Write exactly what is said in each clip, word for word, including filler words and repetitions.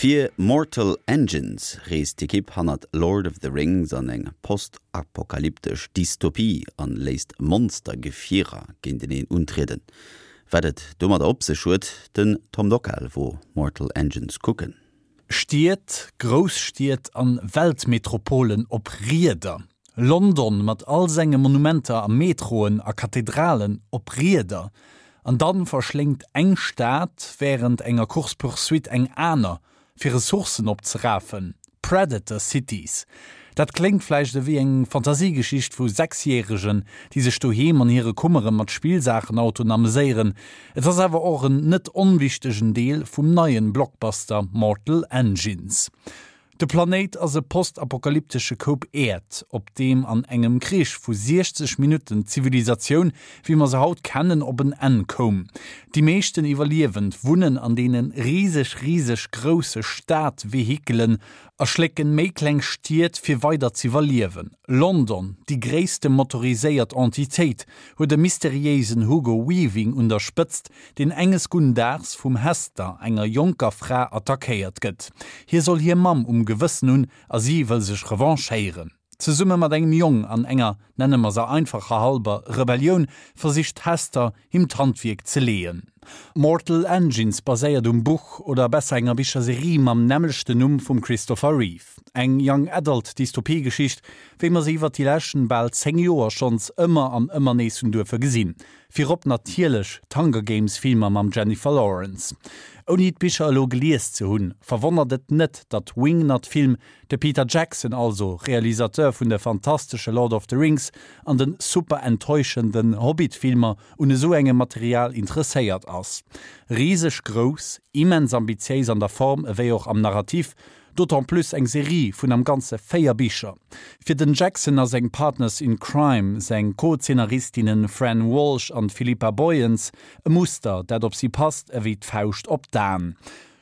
Fir Mortal Engines reest d'Ekipp hannert Lord of the Rings an eng postapokalyptesch Dystopie an léisst Monstergefierer géinteneen untrieden. Wat et domadder op sech huet, den Tom Dockal wor Mortal Engines kucken. Stied, Grousstied an Weltmetropolen op Rieder. London mat all senge Monumenter a Metroen a Kathedralen op Rieder. An dann verschléngt eng Stad wärend enger Course-poursuite eng aner, fir Ressourcen opzerafen. Predator Cities. Dat kléngt vläicht ewéi eng Fantasiegeschicht vu Sechsjäregen, déi sech doheem an hire Kummere mat Spillsaachenautoen ameséieren. Et ass awer och en net onwichtegen Deel vum neien Blockbuster Mortal Engines. De Planéit ass e postapokalyptesche Koup Äerd, op deem an engem Krich vu siechzeg Minutten d'Zivilisatioun, wéi mer se haut kennen, op en Enn koum. Déi meeschten Iwwerliewend wunnen an deene riseg, riseg grousse Stad-Vehikelen a schlécken méi kleng Stied fir weider z'iwwerliewen. London, déi gréisste motoriséiert Entitéit, huet e mysteriéisen Hugo Weaving un der Spëtzt, deen enges gudden Daags vum Hester, enger jonker Fra, attackéiert gëtt. Hie soll hir Mamm um Gewëssen hunn a si wëll sech revanchéieren. Zesumme mat engem Jong an enger, nenne mer se einfacherhalber, Rebellioun, versicht d'Hester, him d'Handwierk ze leeën. Mortal Engines baséiert um Buch, oder besser enger Bicherserie mam nämmlechten Numm vum Christopher Reeve. Eng Young Adult Dystopiegeschicht, wéi mer se iwwer déi leschten bal zéng Joer schonns ëmmer an ëmmer nees hunn duerfe gesinn. Virop natierlech d'Hunger Games Filmer mam Jennifer Lawrence. Ouni d'Bicher elo gelies ze hunn, verwonnert et net, datt Wingnut Film, de Peter Jackson also, Realisateur vun de fantastesche Lord of the Rings an de super enttäuschenden Hobbit Filmer, un esou engem Material interesséiert ass. Riseg grouss, immens ambitiéis an der Form ewéi och am Narrativ, d'autant plus eng Serie vun am Ganze véier Bicher. Fir den Jackson a seng Partners in Crime, seng Co-Zeenaristinnen Fran Walsh an Philippa Boyens, e Muster, dat op si passt ewéi d'Fauscht op d'Aen.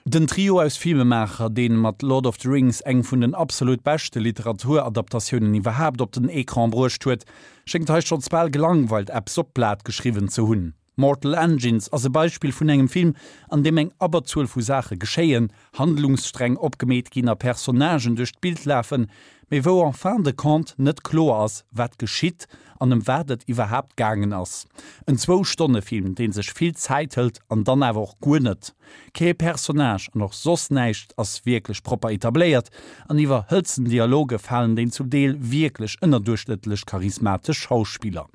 Den Trio aus Filmemaacher, dee mat Lord of the Rings eng vun den absolut beschte Literaturadaptatiounen iwwerhaapt op den Ecran bruecht huet, schéngt hei schonns bal gelangweilt eppes op d'Blat geschriwwen ze hunn. Mortal Engines ass e Beispill vun engem Film, an deem eng Abberzuel vu Saache geschéien, Handlungssträng opgemeet ginn a Personnagen duerch d'Bild lafen, mee wou en fin de compte net kloer ass, wat geschitt an ëm wat et iwwerhaapt gaangen ass. En Zwou-Stonne-Film, dee sech vill Zäit hëlt an dann awer och guer net. Kee Personnage an och soss näischt ass wierklech propper etabléiert an iwwer hëlzen Dialoge falen déi zum Deel wierklech ënnerduerchschnëttlech charismatesch Schauspiller.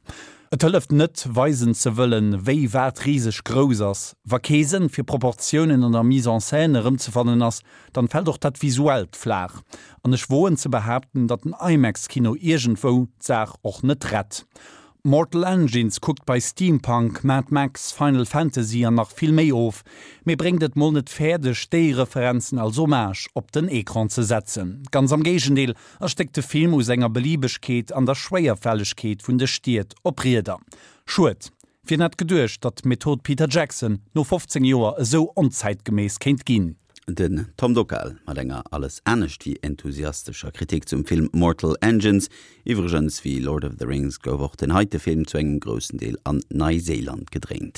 Et hëlleft net, weisen ze wëllen, wéi wat riseg grouss ass. Wa kee Sënn fir Proportiounen an der Mise en scène erëmzefannen ass, dann fält och dat Visuellt flaach. An ech woen ze behaapten, datt den IMAX-Kino iergendwou d'Saach och net rett. Mortal Engines kuckt bei Steampunk, Mad Max, Final Fantasy an nach vill méi of, mee bréngt et mol net fäerdeg, déi Referenzen als Hommage op den Ecran ze setzen. Ganz am Géigendeel erstéckt de Film u senger Beliebegkeet an der Schwéierfällegkeet vun de Stied op Rieder. Schued. Wien hätt geduecht, datt d'Method Peter Jackson no fofzéng Joer esou onzäitgeméiss kéint ginn? Den Tom Dockal mat enger alles anescht wéi enthusiastescher Kritik zum Film Mortal Engines. Iwwregens, wéi Lord of the Rings gouf och den heite Film zu engem groussen Deel an Neiséiland gedréint.